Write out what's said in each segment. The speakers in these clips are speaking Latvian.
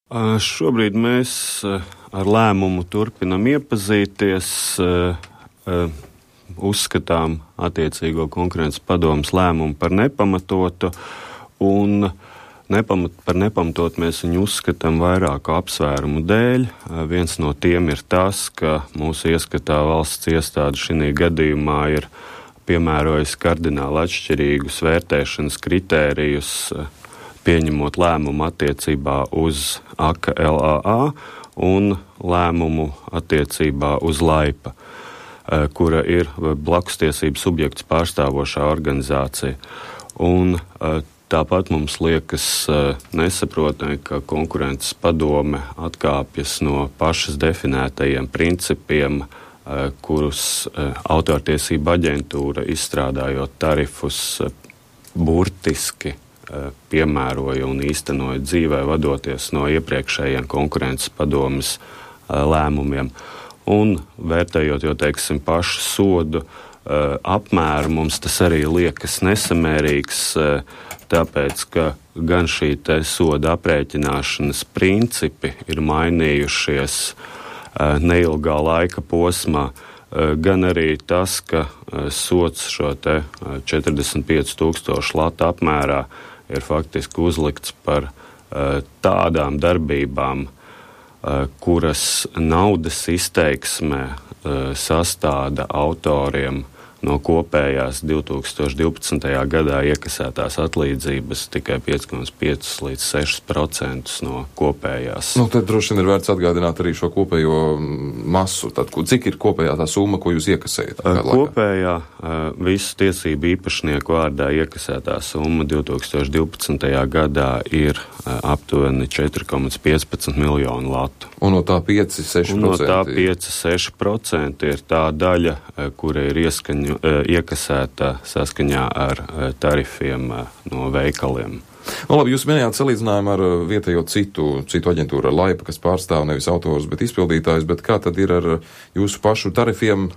Šobrīd mēs ar lēmumu turpinam iepazīties, uzskatām attiecīgo konkurences padomes lēmumu par nepamatotu, un par nepamatotu mēs viņu uzskatām vairāku apsvērumu dēļ. Viens no tiem ir tas, ka mūsu ieskatā valsts iestāde šī gadījumā ir piemērojusi kardināli atšķirīgus vērtēšanas kritērijus, pieņemot lēmumu attiecībā uz AKA LAA un lēmumu attiecībā uz Laipa, kura ir blakustiesību subjekts pārstāvošā organizācija. Un tāpat mums liekas nesaprotami, ka konkurences padome atkāpjas no pašas definētajiem principiem, kurus autortiesība aģentūra izstrādājot tarifus burtiski piemēroja un īstenoja dzīvē, vadoties no iepriekšējiem konkurences padomes lēmumiem. Un vērtējot jau, teiksim, pašu sodu apmēru, mums tas arī liekas nesamērīgs, tāpēc, ka gan šī te soda aprēķināšanas principi ir mainījušies neilgā laika posmā, gan arī tas, ka sods šo te 45,000 latu apmērā ir faktiski uzlikts par tādām darbībām, kuras naudas izteiksmē sastāda autoriem no kopējās 2012. Gadā iekasētās atlīdzības tikai 5,5 līdz 6% no kopējās. Tad droši vien ir vērts atgādināt arī šo kopējo masu. Tad, cik ir kopējā tā summa, ko jūs iekasējat? Kopējā visu tiesību īpašnieku vārdā iekasētā summa 2012. gadā ir aptuveni 4,15 miljonu latu. Un no tā 5-6%? No tā 5-6% ir tā daļa, kura ir iekasēta saskaņā ar tarifiem no veikaliem. Labi, jūs minējāt salīdzinājumu ar vietējo citu aģentūru, ar Laipa, kas pārstāv nevis autors, bet izpildītājus, bet kā tad ir ar jūsu pašu tarifiem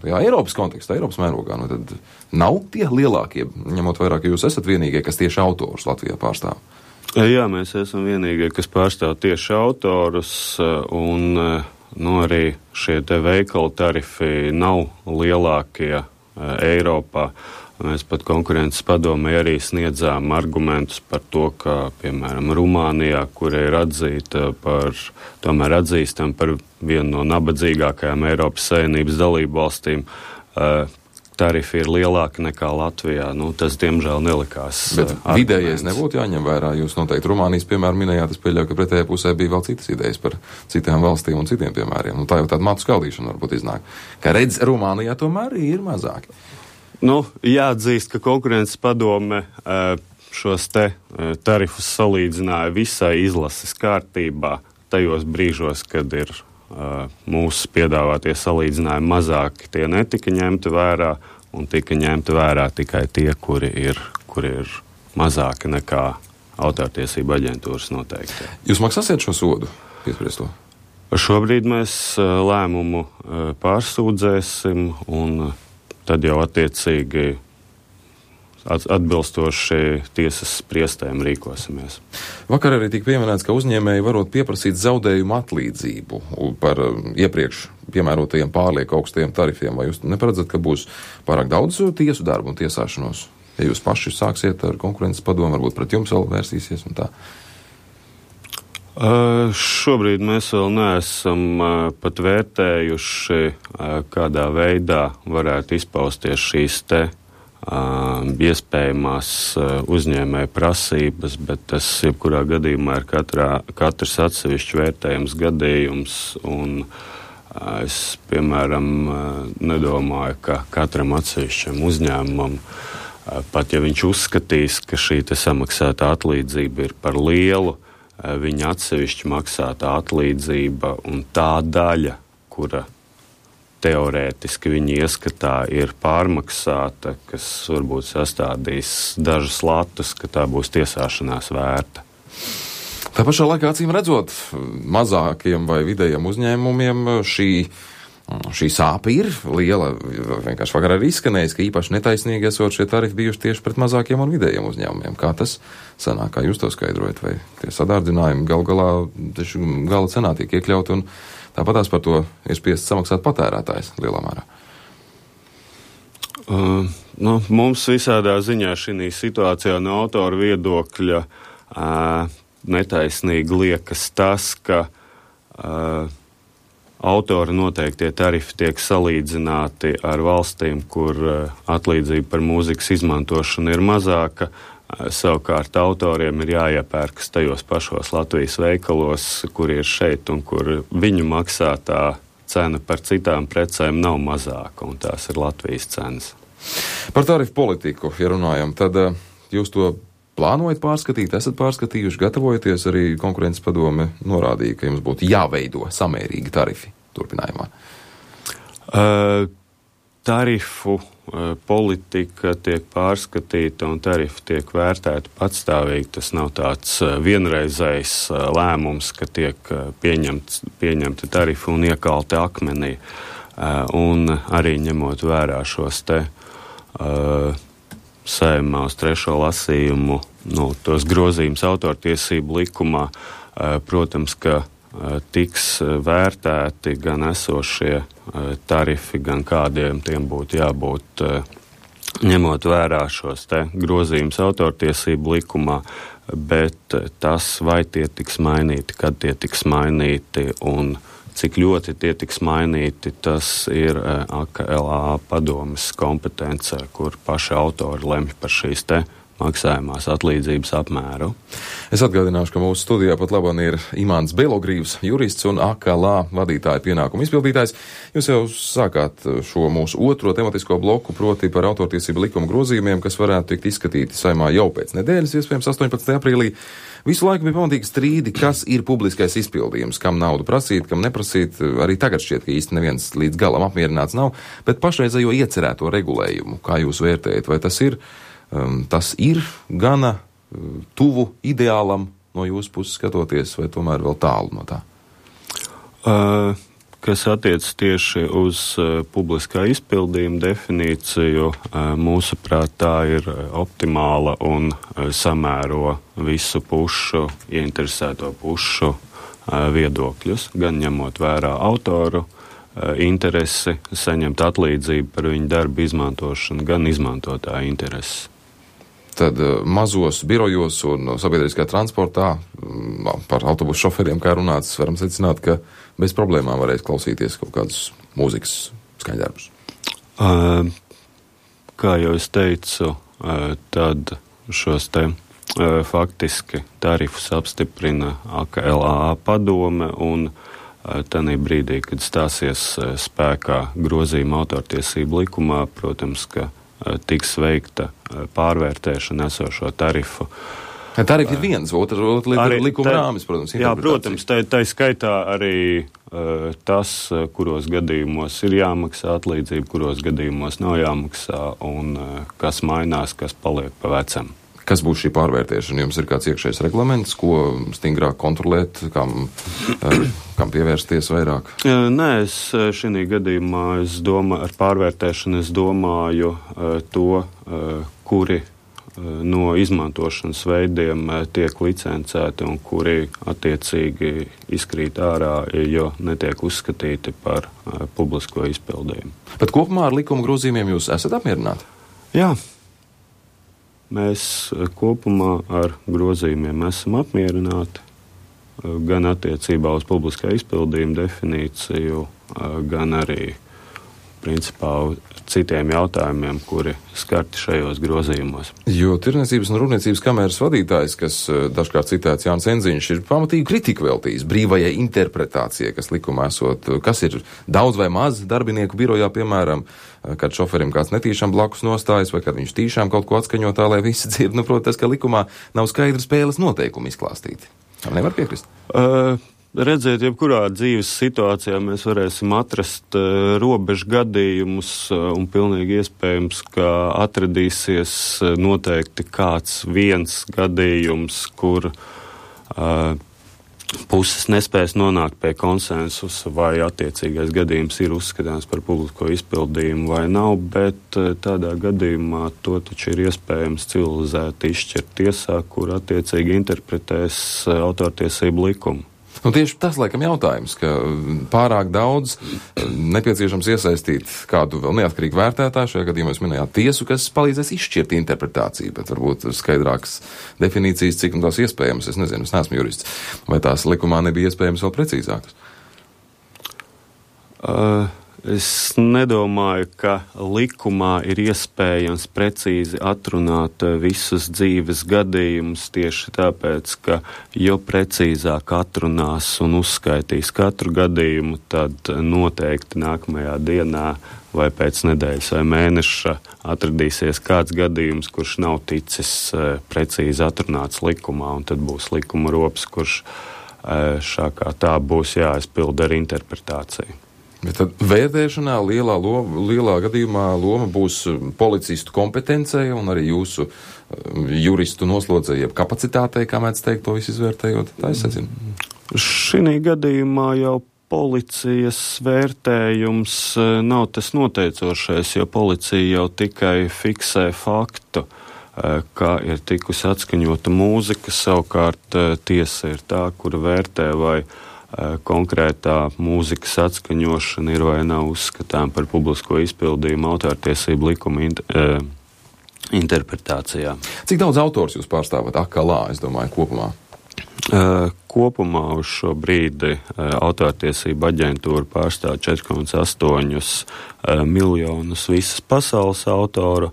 Eiropas kontekstā, Eiropas mērogā? Tad nav tie lielākie, ņemot vairāk, ka jūs esat vienīgie, kas tieši autorus Latvijā pārstāv? Jā, mēs esam vienīgie, kas pārstāv tieši autorus, un arī šie te veikalu tarifi nav lielākie Eiropā. Mēs pat konkurences padomē arī sniedzām argumentus par to, ka, piemēram, Rumānijā, kura ir atzīstam par vienu no nabadzīgākajām Eiropas Savienības dalību valstīm, tarifi ir lielāki nekā Latvijā. Tas, diemžēl, nelikās. Bet vidējais nebūtu jāņem vērā. Jūs noteikti Rumānijas piemēru minējāt, es pieļauju, ka pretējā pusē bija vēl citas idejas par citām valstīm un citiem piemēriem. Tā jau tāda matu skaldīšana varbūt iznāk. Kā redz, Rumānijā tomēr ir mazāki. Jāatzīst, ka konkurences padome šos te tarifus salīdzināja visai izlases kārtībā tajos brīžos, kad ir mūsu piedāvātie salīdzinājumi mazāki, tie netika ņemti vērā, un tika ņemti vērā tikai tie, kuri ir mazāki nekā autortiesība aģentūras noteikti. Jūs maksāsiet šo sodu? Piespriesto? Šobrīd mēs lēmumu pārsūdzēsim, un tad jau attiecīgi atbilstoši tiesas spriestēm rīkosimies. Vakar arī tika pieminēts, ka uzņēmēji varot pieprasīt zaudējumu atlīdzību par iepriekš piemērotajiem pārlieku augstajiem tarifiem. Vai jūs neparedzat, ka būs pārāk daudz tiesu darbu un tiesāšanos? Ja jūs paši sāksiet ar konkurences padomu, varbūt pret jums vēl vērsīsies un tā? Šobrīd mēs vēl neesam pat vērtējuši, kādā veidā varētu izpausties šīs te iespējamās uzņēmēja prasības, bet tas jebkurā gadījumā ir katrs atsevišķi vērtējums gadījums, un es, piemēram, nedomāju, ka katram atsevišķam uzņēmumam, pat ja viņš uzskatīs, ka šī te samaksāta atlīdzība ir par lielu, viņa atsevišķi maksāta atlīdzība un tā daļa, kura teorētiski viņa ieskatā ir pārmaksāta, kas varbūt sastādīs dažus latus, ka tā būs tiesāšanās vērta. Tā pašā laikā, acīm redzot, mazākiem vai vidējiem uzņēmumiem šī Šī sāpe ir liela, vienkārši vakar arī izskanējis, ka īpaši netaisnīgi esot šie tarifi bijuši tieši pret mazākiem un vidējiem uzņēmumiem. Kā tas sanāk, kā jūs to skaidrojat, vai tie sadārdzinājumi gala cenā tiek iekļauti un tāpatās par to ir spiests samaksāt patērētājs lielā mērā? Mums visādā ziņā šī situācijā no autora viedokļa netaisnīgi liekas tas, ka autora noteiktie tarifi tiek salīdzināti ar valstīm, kur atlīdzība par mūzikas izmantošanu ir mazāka. Savukārt autoriem ir jāiepērkas tajos pašos Latvijas veikalos, kur ir šeit un kur viņu maksātā cena par citām precēm nav mazāka, un tās ir Latvijas cenas. Par tarifu politiku, ja runājam, tad jūs to plānojat pārskatīt, esat pārskatījuši, gatavojaties, arī konkurences padome norādīja, ka jums būtu jāveido samērīgi tarifi turpinājumā. Tarifu politika tiek pārskatīta un tarifi tiek vērtēti patstāvīgi. Tas nav tāds vienreizējs lēmums, ka tiek pieņemti tarifi un iekalti akmenī. Un arī ņemot vērā šos te Saeimā uz 3. lasījumu, tos grozījumus autortiesību likumā, protams, ka tiks vērtēti gan esošie tarifi, gan kādiem tiem būtu jābūt, ņemot vērā šos te grozījumus autortiesību likumā, bet tas, vai tie tiks mainīti, kad tie tiks mainīti un cik ļoti tie tiks mainīti, tas ir AKLA padomes kompetence, kur paši autori lemj par šīs te maksājumās atlīdzības apmēru. Es atgādināšu, ka mūsu studijā pat labāk ir Imants Belogrīvs, jurists un AKLA vadītāja pienākumu izpildītājs. Jūs jau sākāt šo mūsu otro tematisko bloku, proti par autortiesību likuma grozījumiem, kas varētu tikt izskatīti Saeimā jau pēc nedēļas, iespējams 18. aprīlī. Visu laiku bija pamatīgi strīdi, kas ir publiskais izpildījums, kam naudu prasīt, kam neprasīt. Arī tagad šķiet, ka īsti neviens līdz galam apmierināts nav, bet pašreizējo iecerēto regulējumu, kā jūs vērtējat, vai tas ir gana tuvu ideālam no jūsu puses skatoties, vai tomēr vēl tālu no tā? Kas attiec tieši uz publiskā izpildījuma definīciju, mūsuprāt, tā ir optimāla un samēro visu pušu, ieinteresēto pušu viedokļus, gan ņemot vērā autoru interesi saņemt atlīdzību par viņu darbu izmantošanu, gan izmantotāju interesi. Tad mazos birojos un sabiedriskā transportā par autobusu šoferiem, kā runāts, varam secināt, ka bez problēmām varēs klausīties kaut kādus mūzikas skaņdarbus. Kā jau es teicu, tad šos te faktiski tarifus apstiprina AKLA padome un tanī brīdī, kad stāsies spēkā grozījuma autortiesību likumā, protams, ka tiks veikta pārvērtēšana esošo tarifu. Tarifi ir viens, otra lieta ir likuma rāmis, protams. Jā, protams, tā skaitā arī tas, kuros gadījumos ir jāmaksā atlīdzība, kuros gadījumos nav jāmaksā un kas mainās, kas paliek pa vecam. Kas būs šī pārvērtēšana? Jums ir kāds iekšējs reglaments, ko stingrāk kontrolēt, kam pievērsties vairāk? Nē, šī gadījumā ar pārvērtēšanu es domāju to, kuri no izmantošanas veidiem tiek licencēti un kuri attiecīgi izkrīt ārā, jo netiek uzskatīti par publisko izpildījumu. Bet kopumā ar likuma grozījumiem jūs esat apmierināti? Jā. Mēs kopumā ar grozījumiem esam apmierināti, gan attiecībā uz publiskā izpildījuma definīciju, gan arī principā citiem jautājumiem, kuri skarti šajos grozījumos. Jo Tirdzniecības un Rūpniecības kameras vadītājs, kas dažkārt citēts Jānis Enziņš, ir pamatīgi kritiku veltījis brīvajai interpretācijai, kas likumā esot, kas ir daudz vai maz darbinieku birojā, piemēram, kad šoferim kāds netīšām blakus nostājas, vai kad viņš tīšām kaut ko atskaņo tā, lai visi dzird. Protams, ka likumā nav skaidra spēles noteikumi izklāstīti. Tam nevar piekrist? Redzēt, jebkurā dzīves situācijā mēs varēsim atrast robežu gadījumus un pilnīgi iespējams, ka atradīsies noteikti kāds viens gadījums, kur puses nespēs nonākt pie konsensusa, vai attiecīgais gadījums ir uzskatāms par publisko izpildījumu vai nav, bet tādā gadījumā to taču ir iespējams civilizēti izšķirt tiesā, kur attiecīgi interpretēs autortiesību likumu. Nu, tieši tas, laikam, jautājums, ka pārāk daudz nepieciešams iesaistīt kādu vēl neatkarīgu vērtētāju, šajā gadījumā jūs minējāt tiesu, kas palīdzēs izšķirt interpretāciju, bet varbūt skaidrākas definīcijas, cik un tās iespējams, es nezinu, es neesmu jurists, vai tās likumā nebija iespējams vēl precīzākas? Es nedomāju, ka likumā ir iespējams precīzi atrunāt visus dzīves gadījumus tieši tāpēc, ka jo precīzāk atrunās un uzskaitīs katru gadījumu, tad noteikti nākamajā dienā vai pēc nedēļas vai mēneša atradīsies kāds gadījums, kurš nav ticis precīzi atrunāts likumā, un tad būs likuma rops, kurš šā kā tā būs jāizpilda ar interpretāciju. Bet tad vērtēšanā lielā gadījumā loma būs policistu kompetencei un arī jūsu juristu noslodzēji, jeb kapacitātei, kā mēdz teikt, to visu izvērtējot. Tā es secinu. Šī gadījumā jau policijas vērtējums nav tas noteicošais, jo policija jau tikai fiksē faktu, kā ir tikusi atskaņota mūzika, savukārt tiesa ir tā, kura vērtē, vai konkrētā mūzikas atskaņošana ir vai nav uzskatām par publisko izpildījumu autortiesību likuma interpretācijā. Cik daudz autors jūs pārstāvat akalā, es domāju, kopumā? Kopumā uz šo brīdi autortiesība aģentūra pārstāv 4,8 miljonus visas pasaules autoru,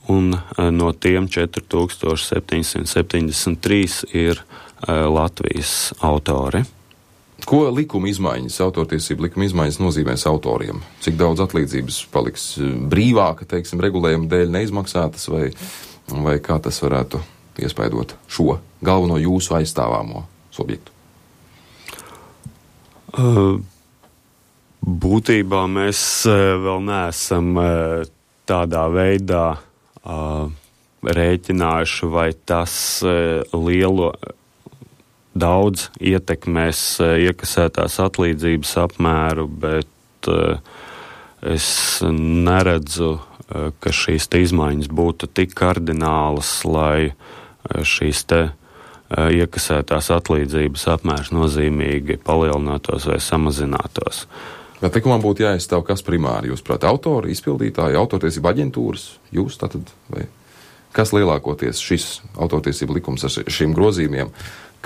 un no tiem 4773 ir Latvijas autori. Ko likuma izmaiņas, autortiesību likuma izmaiņas nozīmēs autoriem? Cik daudz atlīdzības paliks brīvāka, teiksim, regulējuma dēļ neizmaksātas, vai kā tas varētu iespaidot šo galveno jūsu aizstāvāmo subjektu? Būtībā mēs vēl neesam tādā veidā rēķinājuši, vai tas daudz ietekmēs iekasētās atlīdzības apmēru, bet es neredzu, ka šīs te izmaiņas būtu tik kardinālas, lai šīs te iekasētās atlīdzības apmērs nozīmīgi palielinātos vai samazinātos. Bet likumā būtu jāizstāv kas primāri, jūs prāt, autori, izpildītāji, autortiesība aģentūras, jūs tātad, vai kas lielākoties šis autortiesība likums ar šiem grozījumiem,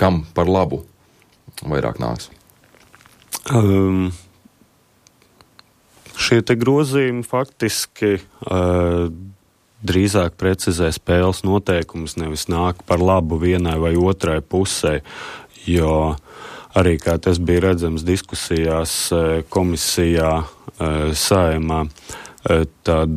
kam par labu vairāk nāks? Šie te grozījumi faktiski drīzāk precizē spēles noteikumus, nevis nāk par labu vienai vai otrai pusē, jo arī, kā tas bija redzams diskusijās komisijā Saeimā, tad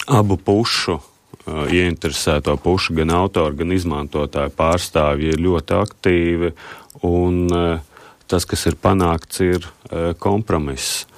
abu pušu ieinteresēto pušu, gan autoru, gan izmantotāju pārstāvji ir ļoti aktīvi, un tas, kas ir panākts, ir kompromiss.